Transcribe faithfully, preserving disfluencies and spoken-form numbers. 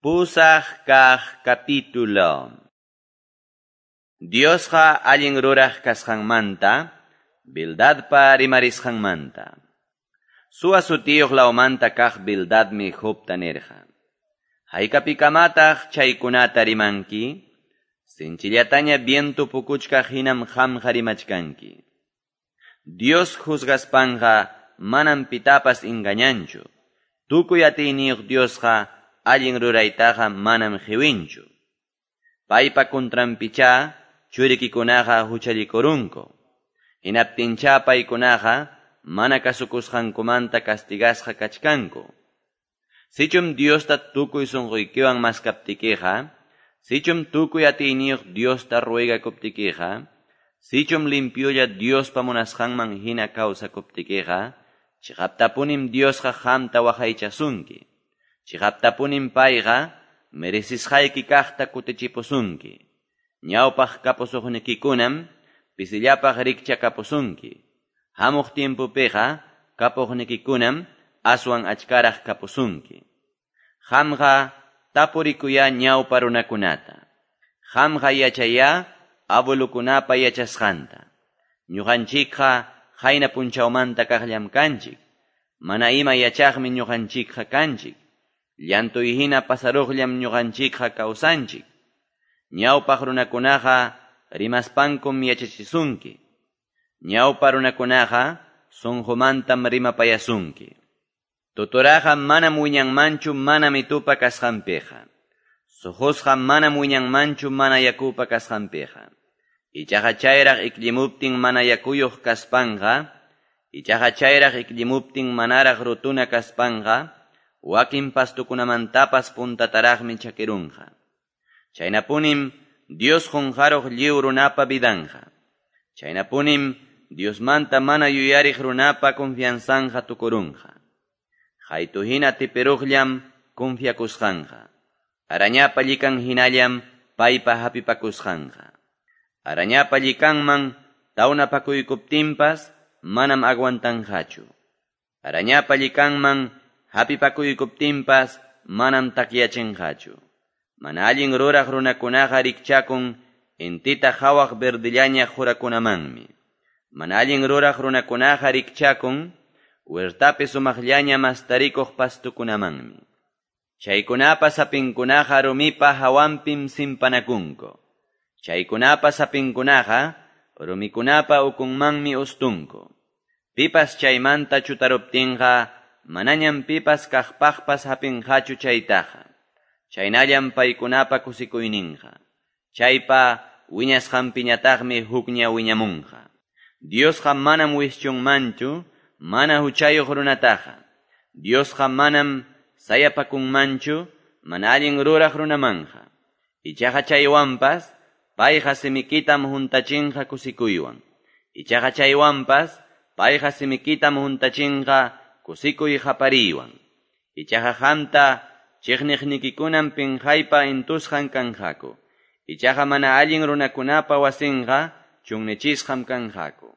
Pusaq kaq capítulo. Diosqa allin ruraq kasqanmanta, Bildadpa rimarisqanmanta. Suwa sutiyuq lawmanta kaq Bildadmi Jobta nirqa. Haykapikamataq chaykunata rimanki? Sinchillataña viento pukuchkaq hinam qamqa rimachkanki. Dios juzgaspanqa manam pitapas engañanchu. Tukuy atiyniyuq Diosqa allin ruraytaqa manam qiwinchu. Paypa contranpichá churikikunaqa huchallikurunku. Hinaptinchá paykunaqa mana kasukusqankumanta castigasqa kachkanku. Sichum Diosta tukuy sunquykiwan maskaptikiqa, sichum tukuy atiyniyuq Diosta ruegakuptikiqa, sichum limpiolla Diospa munasqanman hina kawsakuptikiqa, chiqaptapunim Diosqa qamta waqaychasunki. Chiqaptapunim payqa merecisqayki kaqta kutichipusunki. Ñawpaq kapusuqnikikunam pisillapaq rikchakapusunki. Hamuq tiempopiqa kapuqnikikunam aswan achkaraq kapusunki. Qamqa tapurikuya ñawpa runakunata. Qamqa yachaya abuelukunapa yachasqanta. Ñuqanchikqa qayna punchawmanta kaqllam kanchik. Mana ima yachaqmi ñuqanchikqa kanchik. Llantuy hina pasaruqllam ñuqanchikqa kawsanchik. Ñawpaq runakunaqa rimaspankum yachachisunki. Ñawpa runakunaqa sunqumantam rimapayasunki. Tuturaqa manam wiñanmanchu mana mitupa kasqanpiqa. Suqusqa manam wiñanmanchu mana yakupa kasqanpiqa. Ichaqa chayraq ikllimuptin mana yakuyuq kaspanqa, ichaqa chayraq ikllimuptin manaraq rutuna kaspanqa, wakin pastukunamantapas puntataraqmi chakirunqa. Chaynapunim Dios qunqaruq lliw runapa vidanqa. Chaynapunim Diosmanta mana yuyariq runapa confianzanqa tukurunqa. Qaytu hina tipiruqllam confiakusqanqa. Arañapa llikan hinallam paypa hapipakusqanqa. Arañapa llikanman tawnapakuykuptinpas manam aguantanqachu. Arañapa llikanman hapipakuykuptinpas manam takyachinqachu. Mana allin ruraq runakunaqa rikchakun intita qhawaq verdillaña qurakunamanmi. Mana allin ruraq runakunaqa rikchakun huertapi sumaqllaña mastarikuq pastukunamanmi. Chaykunapa sapinkunaqa rumipa hawanpim simpanakunku. Chaykunapa sapinkunaqa rumikunapa ukunmanmi ustunku. Pipas chaymanta chutaruptinqa manañam pipas kaqpaqpas hapinqachu chaytaqa. Chaynallam paykunapa kusikuyninqa. Chaypa wiñasqanpiñataqmi hukña wiñamunqa. Diosqa manam wischunmanchu mana huchayuq runataqa. Diosqa manam sayapakunmanchu mana allin ruraq runamanqa. Ichaqa chaywanpas payqa simikitam huntachinqa kusikuywan. Ichaqa chaywanpas payqa simikitam huntachinqa kusikuy qapariywan. Ichaqa qamta chiqniqnikikunam pinqaypa intusqan kanqaku. Ichaqa mana allin runakunapa wasinqa chunnichisqam kanqaku.